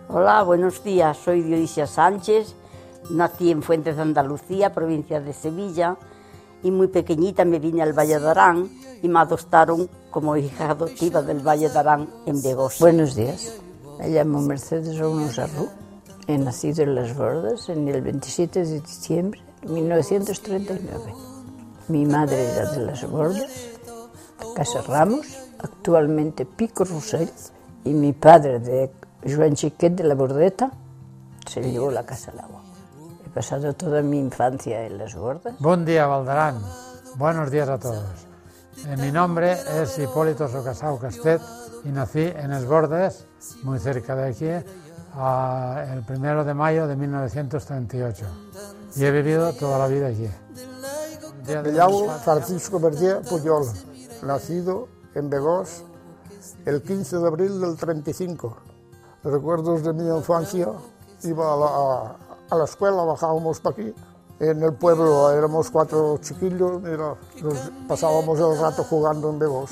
Hola, buenos días. Soy Dionisia Sánchez. Nací en Fuentes de Andalucía, provincia de Sevilla, y muy pequeñita me vine al Valle de Arán y me adoptaron como hija adoptiva del Valle de Arán en Begós. Buenos días. Me llamo Mercedes Ramos Arru. He nacido en Las Bordas en el 27 de diciembre de 1939. Mi madre era de Las Bordas, de Casa Ramos, actualmente Pico Rossell, y mi padre de Joan Chiquet de la Bordeta se llevó la casa al agua. He pasado toda mi infancia en Las Bordas. Buen día, Valdarán. Buenos días a todos. Mi nombre es Hipólito Socasau Castet y nací en Las Bordas, muy cerca de aquí, el 1 de mayo de 1938. Y he vivido toda la vida aquí. Me llamo Francisco Verdier Puyol, nacido en Begós el 15 de abril del 35. Recuerdos de mi infancia, iba a la escuela, bajábamos para aquí. En el pueblo éramos 4 chiquillos, pasábamos el rato jugando en Begós.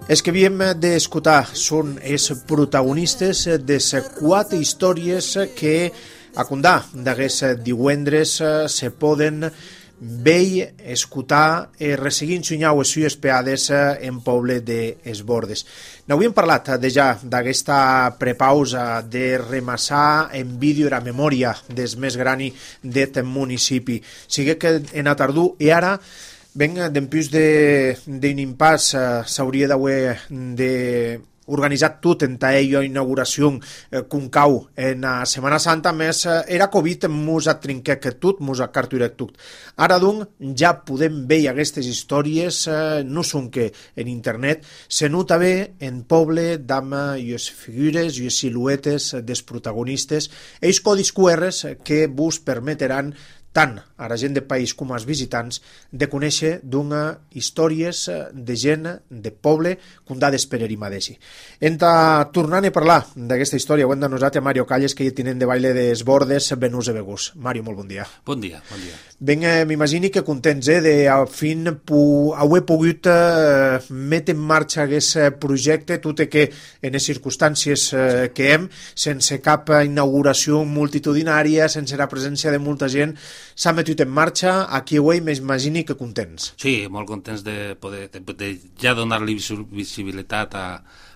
Els que havíem d'escoltar són els protagonistes de les 4 històries que a Condà d'aquest divendres se poden veure, escoltar i resseguir ensenyar les sues peades en poble de Es Bordes. N'havíem parlat ja d'aquesta prepausa de remassar en vídeo la memòria del més gran d'aquest municipi. Sigui que en a tardú i ara ben dempús d'un impàs s'hauria d'haver organitzat tot en aquella inauguració concau en la Setmana Santa, més era Covid mos ha trincat que tot, mos ha carturat tot. Ara, doncs, ja podem veure aquestes històries, no són que en internet, se nota bé en poble d'amb les figures i les siluetes dels protagonistes, ells codis QRs que vos permetran tant a la gent de país com als visitants de conèixer d'una històries de gent de poble condades per Erimadesi. Tornant a parlar d'aquesta història, ho hem denosat a Mario Calles, que hi tinent de baile des Bordes, Benús de Begús. Mario, molt bon dia. Bon dia, bon dia. Ben, m'imagini que contents de al fin haver pogut metre en marxa aquest projecte, tot i que en les circumstàncies que hem, sense cap inauguració multitudinària, sense la presència de molta gent, s'ha metut en marxa, aquí avui m'imagini que contents. Sí, molt contents de poder ja donar-li visibilitat a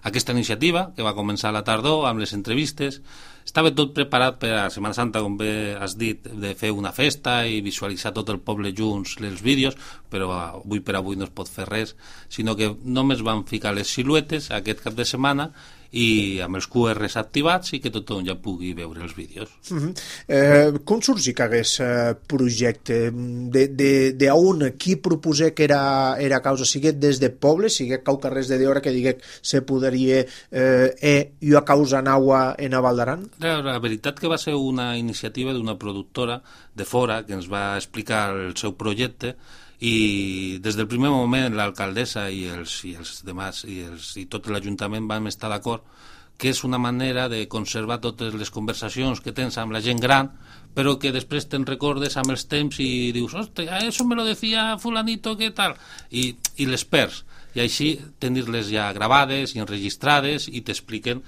aquesta iniciativa, que va començar a la tardor amb les entrevistes. Estava tot preparat per a Setmana Santa, com bé has dit, de fer una festa i visualitzar tot el poble junts els vídeos, però avui per avui no es pot fer res, sinó que només van ficar les siluetes aquest cap de setmana i amb els QRs activats i que tothom ja pugui veure els vídeos. Com sorgí aquest projecte? D'on? Qui proposé que era causa? Siguet des de poble, siguet cau carrers de d'hora que diguet se podria i a causa naua en a Valdaran? La veritat que va ser una iniciativa d'una productora de fora que ens va explicar el seu projecte i des del primer moment l'alcaldessa i els demás i tot l'Ajuntament vam estar d'acord que és una manera de conservar totes les conversacions que tens amb la gent gran, però que després te'n recordes amb els temps i dius, hòstia, eso me lo decía fulanito, què tal? I les perds. I així tenir-les ja gravades i enregistrades i t'expliquen,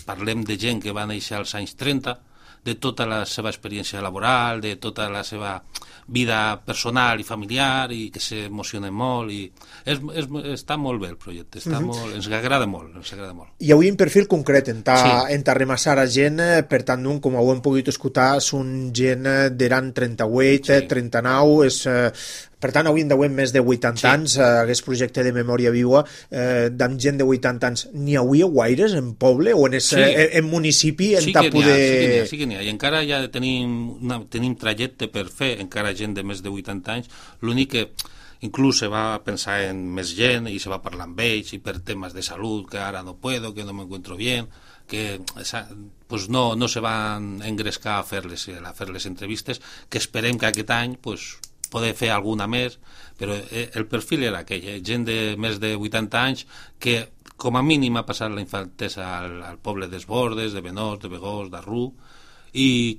parlem de gent que va néixer als anys 30, de tota la seva experiència laboral, de tota la seva vida personal i familiar i que s'emocionen molt i està molt bé el projecte, ens agrada molt. Hi hauria un perfil concret en remassar a gent, per tant, com ho hem pogut escoltar, són gent d'eran 38, 39, per tant, avui en deuem més de 80 anys, aquest projecte de memòria viva, d'amb gent de 80 anys, n'hi hauria guaires en poble o en municipi? Sí que n'hi ha, i encara ja tenim trajecte per fer, encara gent de més de 80 anys, l'únic que inclús se va pensar en més gent i se va parlar amb ells i per temes de salut, que ara no puedo, que no me encuentro bien, que pues no se van engrescar a fer les entrevistes, que esperem que aquest any poder fer alguna més, però el perfil era aquell, gent de més de 80 anys que com a mínim ha passat la infantesa al poble d'Es Bordes, de Benós, de Begós, d'Arru, i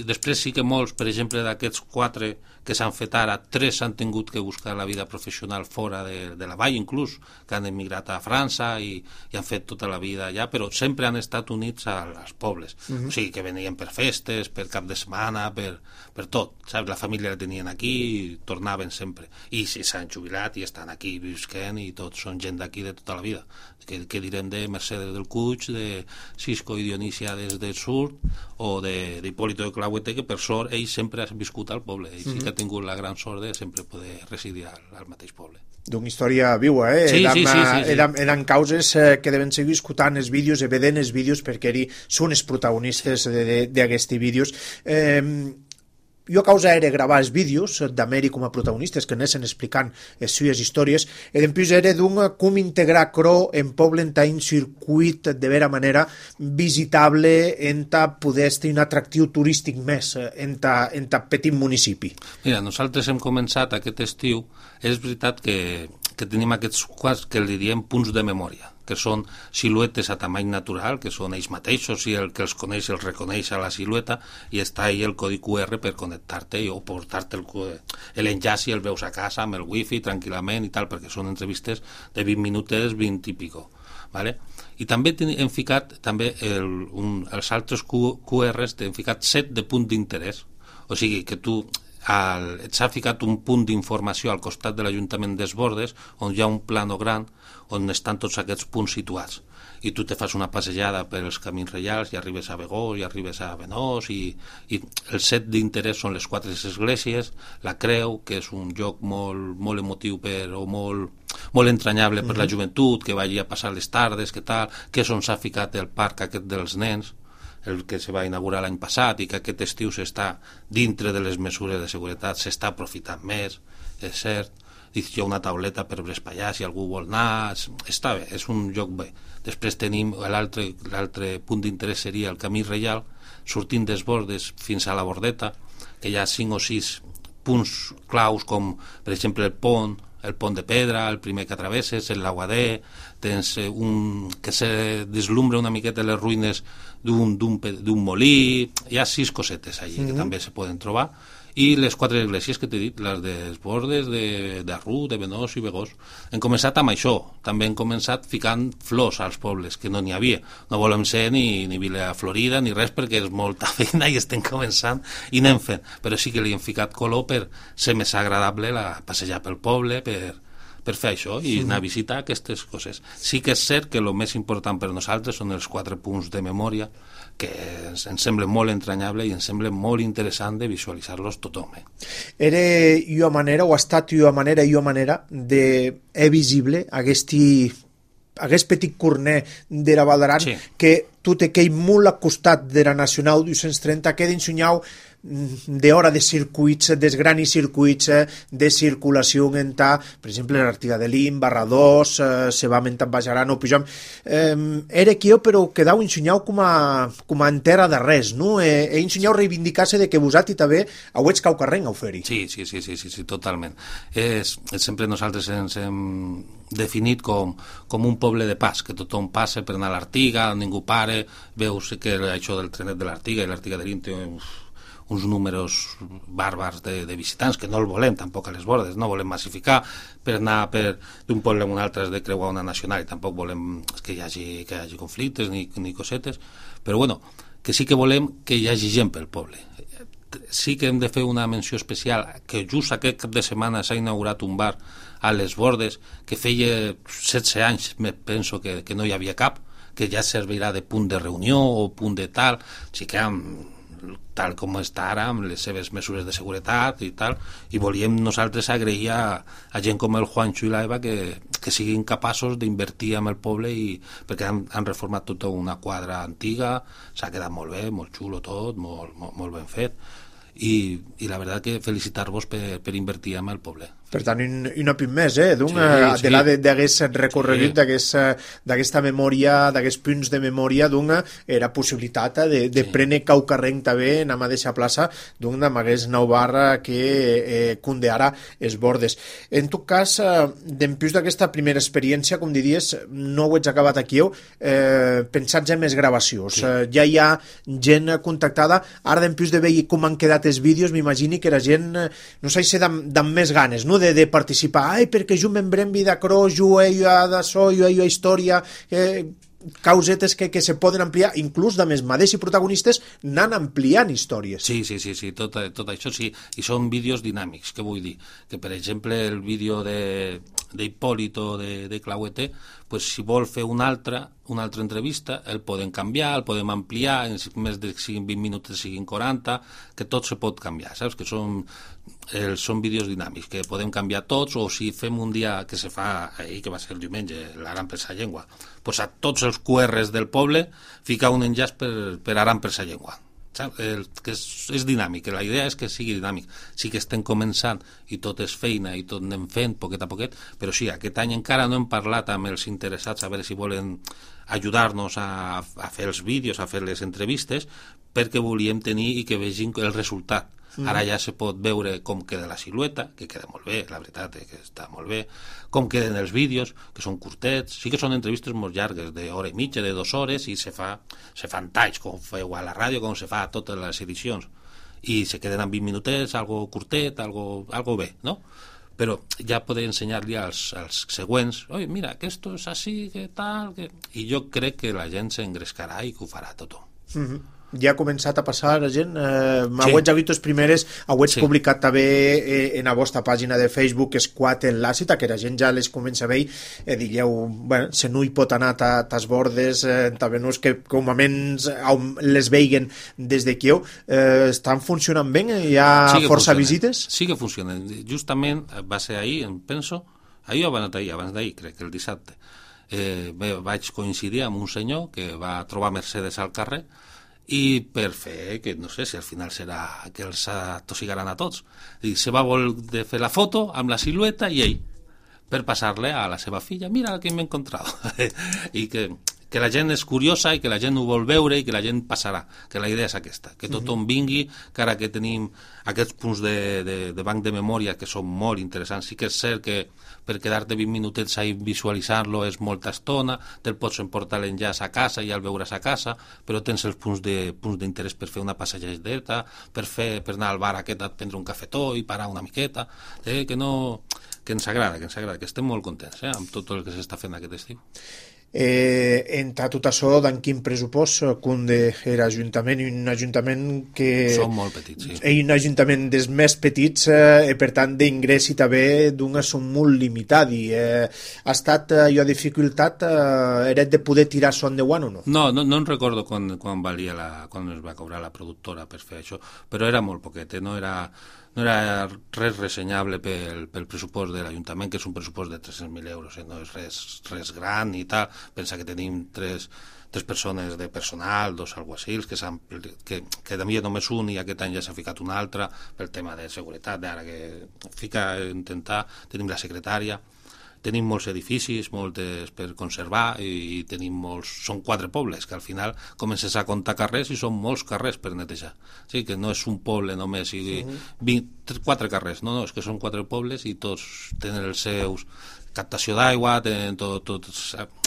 després sí que molts, per exemple, d'aquests 4 que s'han fet ara, 3 s'han tingut que buscar la vida professional fora de la vall, inclús, que han emigrat a França i han fet tota la vida allà, però sempre han estat units als pobles. O sigui, que venien per festes, per cap de setmana, per tot, saps? La família la tenien aquí i tornaven sempre. I si s'han jubilat i estan aquí visquent i tots són gent d'aquí de tota la vida. Que direm de Mercedes del Cuig, de Cisco i Dionisia des del Sur, o d'Hipólito de Clauete, que per sort ell sempre ha viscut al poble. Ell sí que ha tingut la gran sort de sempre poder residir al mateix poble. D'una història viua, Sí. Eren causes que deven seguir escoltant els vídeos i vedent els vídeos perquè són els protagonistes d'aquests vídeos. Jo a causa era gravar els vídeos d'Ameri com a protagonistes que anessin explicant les seues històries i després era com integrar Cro en poble en un circuit de vera manera visitable en poder tenir un atractiu turístic més en petit municipi. Mira, nosaltres hem començat aquest estiu, és veritat que tenim aquests quadres que li diem punts de memòria, que són siluetes a tamany natural, que són ells mateixos i el que els coneix els reconeix a la silueta i està ahí el codi QR per connectar-te o portar-te l'enllaç i el veus a casa amb el wifi tranquil·lament i tal, perquè són entrevistes de 20 minutes, 20 i pico. Vale? I també hem ficat els altres QRs, hem ficat 7 de punt d'interès, o sigui que tu s'ha ficat un punt d'informació al costat de l'Ajuntament des Bordes on hi ha un plano gran on estan tots aquests punts situats i tu te fas una passejada per els camins reials i arribes a Begós i arribes a Benós i el set d'interès són les 4 esglésies, la Creu, que és un lloc molt emotiu o molt entranyable per la joventut, que va allí a passar les tardes, que és on s'ha ficat el parc aquest dels nens, el que se va inaugurar l'any passat i que aquest estiu s'està dintre de les mesures de seguretat, s'està aprofitant més, és cert. Hi ha una tauleta per Brespallà si algú vol anar, està bé, és un lloc bé. Després tenim l'altre punt d'interès seria el camí reial, sortint des Bordes fins a la Bordeta, que hi ha 5 o 6 punts claus com per exemple el pont de pedra, el primer que travesses, el Laguader, tens que se deslumbra una miqueta les ruïnes d'un molí, hi ha 6 cosetes allí que també se poden trobar, i les 4 esglésies que t'he dit, les dels Bordes, d'Arrú, de Benós i Begós. Hem començat amb això, també hem començat ficant flors als pobles, que no n'hi havia. No volem ser ni Vila Florida ni res perquè és molta feina i estem començant i anem fent, però sí que li hem ficat color per ser més agradable passejar pel poble, per fer això i anar a visitar aquestes coses. Sí que és cert que el més important per nosaltres són els 4 punts de memòria que ens sembla molt entranyable i ens sembla molt interessant de visualitzar-los tothom. Era una manera, o ha estat una manera de visible aquest petit corner de la Val d'Aran que tot aquell molt al costat de la Nacional 230 queda ensenyat d'hora de circuits, dels grans circuits de circulació en per exemple, l'Artiga de Lim, Barradós, se va mentant Bajaran o Pujam. Era aquí, però quedau ensenyat com a entera de res, no? Ensenyau reivindicar-se de que vosaltres també heu ets caucarrenc a oferir. Sí, totalment. Sempre nosaltres ens hem definit com un poble de pas, que tothom passa per anar a l'Artiga, ningú pare, veus que això del trenet de l'Artiga i l'Artiga de Lim té uns números bàrbars de visitants, que no el volem tampoc a les Bordes, no volem massificar per anar d'un poble a un altre de creuar una nacional i tampoc volem que hi hagi conflictes ni cosetes, però bueno, que sí que volem que hi hagi gent pel poble. Sí que hem de fer una menció especial que just aquest cap de setmana s'ha inaugurat un bar a les Bordes que feia 16 anys, penso que no hi havia cap, que ja servirà de punt de reunió o punt de tal, sí que tal com està ara, amb les seves mesures de seguretat i tal, i volíem nosaltres agrair a gent com el Juancho i l'Eva que siguin capaços d'invertir en el poble perquè han reformat tota una quadra antiga, s'ha quedat molt bé, molt xulo tot, molt ben fet, i la veritat que felicitar-vos per invertir en el poble. Per tant, un opin més, de la d'aquest recorregut, d'aquesta memòria, d'aquests punts de memòria, era possibilitat de prendre caucarrenc també, anem a deixar plaça, amb aquest nou bar que condeara els bordes. En tot cas, d'empús d'aquesta primera experiència, com diries, no ho ets acabat aquí, pensats en més gravacions. Ja hi ha gent contactada, ara d'empús de veure com han quedat els vídeos, m'imagini que era gent, no sé si amb més ganes, no?, de participar, perquè jo m'embrem vida cros, jo d'això, jo a història, causetes que se poden ampliar, inclús de més mateixos protagonistes anant ampliant històries. Sí, tot això sí, i són vídeos dinàmics, què vull dir? Que, per exemple, el vídeo d'Hipólito de Clauete, pues, si vol fer una altra entrevista, el podem canviar, el podem ampliar, en més de 20 minuts siguin 40, que tot se pot canviar, saps? Que són vídeos dinàmics, que podem canviar tots, o si fem un dia que se fa ahir, que va ser el diumenge, l'Aran per sa llengua, pues a tots els QRs del poble ficar un enllaç per Aran per sa llengua. Que és dinàmic, la idea és que sigui dinàmic. Sí que estem començant i tot és feina i tot anem fent poquet a poquet, però sí, aquest any encara no hem parlat amb els interessats a veure si volen ajudar-nos a fer els vídeos, a fer les entrevistes, perquè volíem tenir i que vegin el resultat. Ara ja se pot veure com queda la silueta, que queda molt bé, la veritat és que està molt bé, com queden els vídeos, que són curtets, sí que són entrevistes molt llargues, d'hora i mitja, de 2 hores, i se fan talls, com feu a la ràdio, com se fa a totes les edicions, i se queden en 20 minutets, algo curtet, algo bé, no? Però ja poder ensenyar-li als següents, oi, mira, que esto és així, que tal, que... I jo crec que la gent s'engrescarà i que ho farà tot. Ja ha començat a passar la gent, ho ets vist les primeres, ho ets publicat també en la vostra pàgina de Facebook, Esquat en l'àcida, que la gent ja les comença a veure, digueu, bueno, se no hi pot anar tas bordes, també no és que com a menys les veiguen des d'aquí, estan funcionant bé? Hi ha força visites? Sí que funcionen, justament va ser ahir, em penso, ahir o abans d'ahir, crec que el dissabte, vaig coincidir amb un senyor que va trobar Mercedes al carrer, i per fer, que no sé si al final serà que els atosigaran a tots, i se va voler fer la foto amb la silueta i ell, per passar-le a la seva filla, mira que m'he encontrat, i que la gent és curiosa i que la gent ho vol veure i que la gent passarà, que la idea és aquesta, que tothom vingui, que ara que tenim aquests punts de banc de memòria que són molt interessants, sí que és cert que per quedar-te 20 minutets a visualitzar-lo és molta estona, te'l pots emportar l'enllaç a casa i ja el veuràs a casa, però tens els punts d'interès per fer una passejadeta, per anar al bar aquest a prendre un cafetó i parar una miqueta, que ens agrada, que estem molt contents amb tot el que s'està fent aquest estiu. Entre tot això, d'en quin pressupost cunde l'Ajuntament, un ajuntament que... Són molt petits, sí. Un ajuntament dels més petits, per tant d'ingrés i també són molt limitat i ha estat jo dificultat era de poder tirar son de guant o no? No em recordo quan valia quan es va cobrar la productora per fer això, però era molt poquet, no era res ressenyable pel pressupost de l'Ajuntament, que és un pressupost de 300.000 euros, no és res gran i tal. Pensa que tenim tres persones de personal, 2 alguacils, que de mi només un i aquest any ja s'ha ficat un altre pel tema de seguretat, ara que fica a intentar, tenim la secretària. Tenim molts edificis, moltes per conservar i tenim són 4 pobles, que al final comences a comptar carrers i són molts carrers per netejar. Sí, que no és un poble només, 4 carrers, no, és que són 4 pobles i tots tenen els seus captació d'aigua, tenen tot,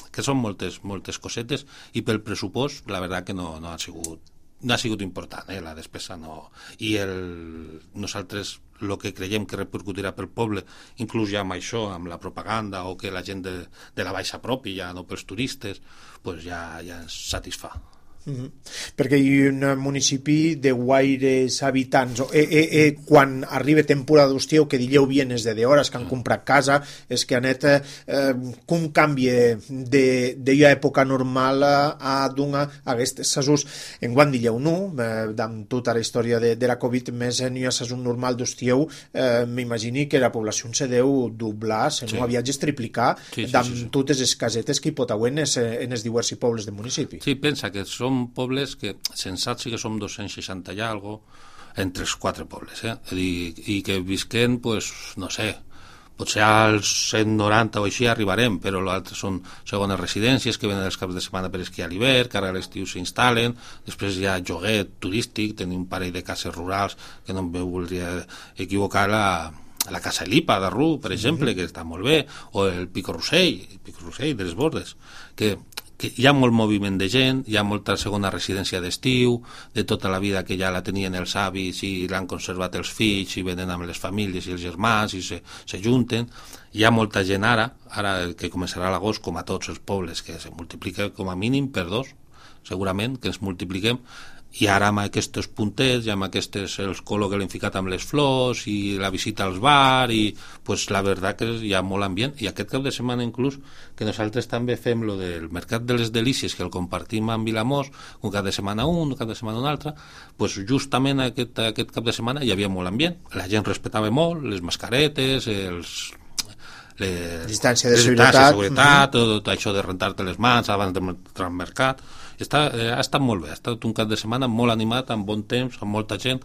que són moltes cosetes i pel pressupost la veritat que no ha sigut important, la despesa no. I nosaltres el que creiem que repercutirà pel poble, inclús ja amb això, amb la propaganda o que la gent de la baixa propi, ja no pels turistes, pues ja ens satisfà. Perquè hi ha un municipi de guaires habitants quan arriba temporada d'estiu, que digueu bienes de hores que han comprat casa, és que anet com canvia d'una època normal a aquests sasús en quan digueu amb tota la història de la Covid, més en un sasús normal d'estiu, m'imagini que la població se deu doblar, se no viatges triplicar amb totes les casetes que hi pot haver en els diversos pobles del municipi. Sí, pensa que som pobles que sensats sí que som 260 i algo entre els 4 pobles, i que visquen, pues, no sé, Potser als 190 o així arribarem, però l'altre són segones residències que venen els caps de setmana per esquiar a l'hivern, que ara a l'estiu s'instal·len, després hi ha lloguer turístic, tenim un parell de cases rurals, que no em voldria equivocar, la Casa Lipa de Rú, per exemple, que està molt bé, o el Pico Rossell de les Bordes, que hi ha molt moviment de gent, hi ha molta segona residència d'estiu, de tota la vida que ja la tenien els avis i l'han conservat els fills i venen amb les famílies i els germans i se junten. Hi ha molta gent ara que començarà a l'agost, com a tots els pobles, que se multiplica com a mínim per 2, segurament, que ens multipliquem, i ara amb aquests puntets i amb el color que l'hem ficat amb les flors i la visita als bars i pues, la veritat que hi ha molt ambient, i aquest cap de setmana inclús que nosaltres també fem lo del Mercat de les Delícies, que el compartim amb Vilamós, un cap de setmana un cap de setmana un altre, pues justament aquest cap de setmana hi havia molt ambient, la gent respectava molt les mascaretes, distància de seguretat, tot això de rentar-te les mans abans d'entrar al mercat. Ha estat molt bé, ha estat un cap de setmana molt animat, amb bon temps, amb molta gent,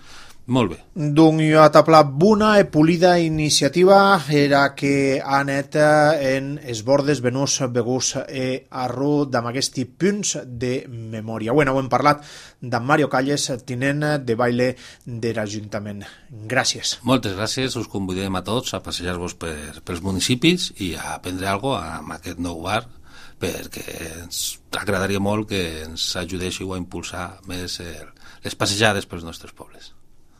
molt bé. Dung jo atapla buna e polida iniciativa era que ha anat en es bordes venús begus arru d'amb aquests punts de memòria. Bueno, ho hem parlat d'en Mario Calles, tinent de baile de l'Ajuntament. Gràcies. Moltes gràcies, us convidem a tots a passejar-vos pels municipis i a aprendre alguna cosa amb aquest nou bar, perquè ens agradaria molt que ens ajudéssiu a impulsar més les passejades pels nostres pobles.